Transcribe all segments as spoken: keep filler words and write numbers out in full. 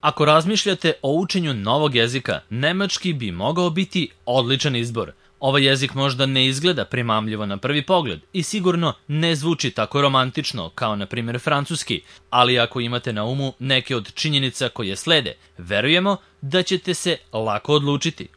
Ako razmišljate o učenju novog jezika, nemački bi mogao biti odličan izbor. Ovaj jezik možda ne izgleda primamljivo na prvi pogled i sigurno ne zvuči tako romantično kao na primjer francuski, ali ako imate na umu neke od činjenica koje slede, verujemo da ćete se lako odlučiti.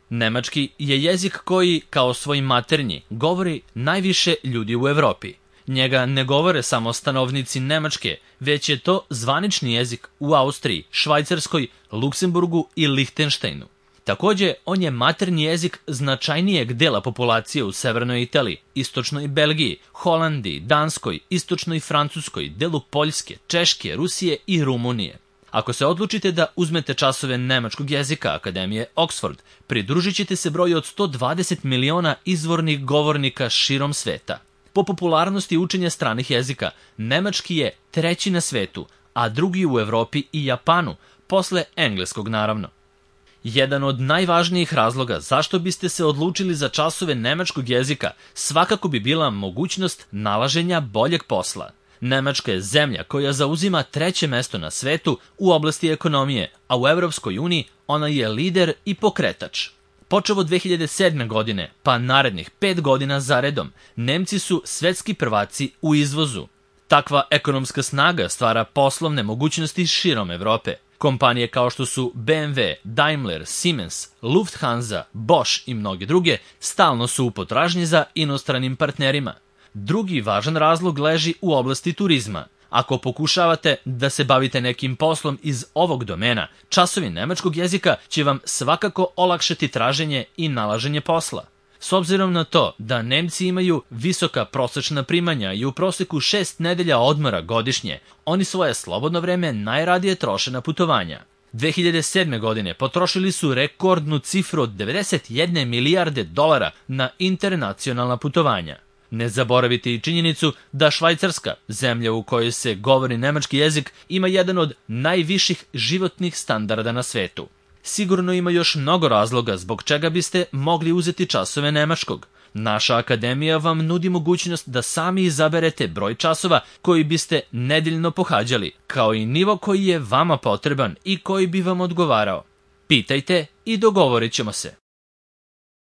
Nemački je jezik koji, kao svoj maternji, govori najviše ljudi u Evropi. Njega ne govore samo stanovnici Nemačke, već je to zvanični jezik u Austriji, Švajcarskoj, Luksemburgu i Lihtenštajnu. Takođe, on je maternji jezik značajnijeg dela populacije u severnoj Italiji, istočnoj Belgiji, Holandiji, Danskoj, istočnoj Francuskoj, delu Poljske, Češke, Rusije i Rumunije. Ako se odlučite da uzmete časove nemačkog jezika Akademije Oxford, pridružit ćete se broju od sto dvadeset miliona izvornih govornika širom sveta. Po popularnosti učenja stranih jezika, nemački je treći na svetu, a drugi u Evropi i Japanu, posle engleskog naravno. Jedan od najvažnijih razloga zašto biste se odlučili za časove nemačkog jezika svakako bi bila mogućnost nalaženja boljeg posla. Nemačka je zemlja koja zauzima treće mesto na svetu u oblasti ekonomije, a u Evropskoj uniji ona je lider i pokretač. Počevo od dve hiljade sedme. godine, pa narednih pet godina zaredom, Nemci su svetski prvaci u izvozu. Takva ekonomska snaga stvara poslovne mogućnosti širom Evrope. Kompanije kao što su B M W, Daimler, Siemens, Lufthansa, Bosch i mnoge druge stalno su u potražnji za inostranim partnerima. Drugi važan razlog leži u oblasti turizma. Ako pokušavate da se bavite nekim poslom iz ovog domena, časovi nemačkog jezika će vam svakako olakšati traženje i nalaženje posla. S obzirom na to da Nemci imaju visoka prosečna primanja i u proseku šest nedelja odmora godišnje, oni svoje slobodno vreme najradije troše na putovanja. dve hiljade sedme. godine potrošili su rekordnu cifru od devedeset jedne milijarde dolara na internacionalna putovanja. Ne zaboravite i činjenicu da Švajcarska, zemlja u kojoj se govori nemački jezik, ima jedan od najviših životnih standarda na svetu. Sigurno ima još mnogo razloga zbog čega biste mogli uzeti časove nemačkog. Naša akademija vam nudi mogućnost da sami izaberete broj časova koji biste nedeljno pohađali, kao i nivo koji je vama potreban i koji bi vam odgovarao. Pitajte i dogovorit ćemo se.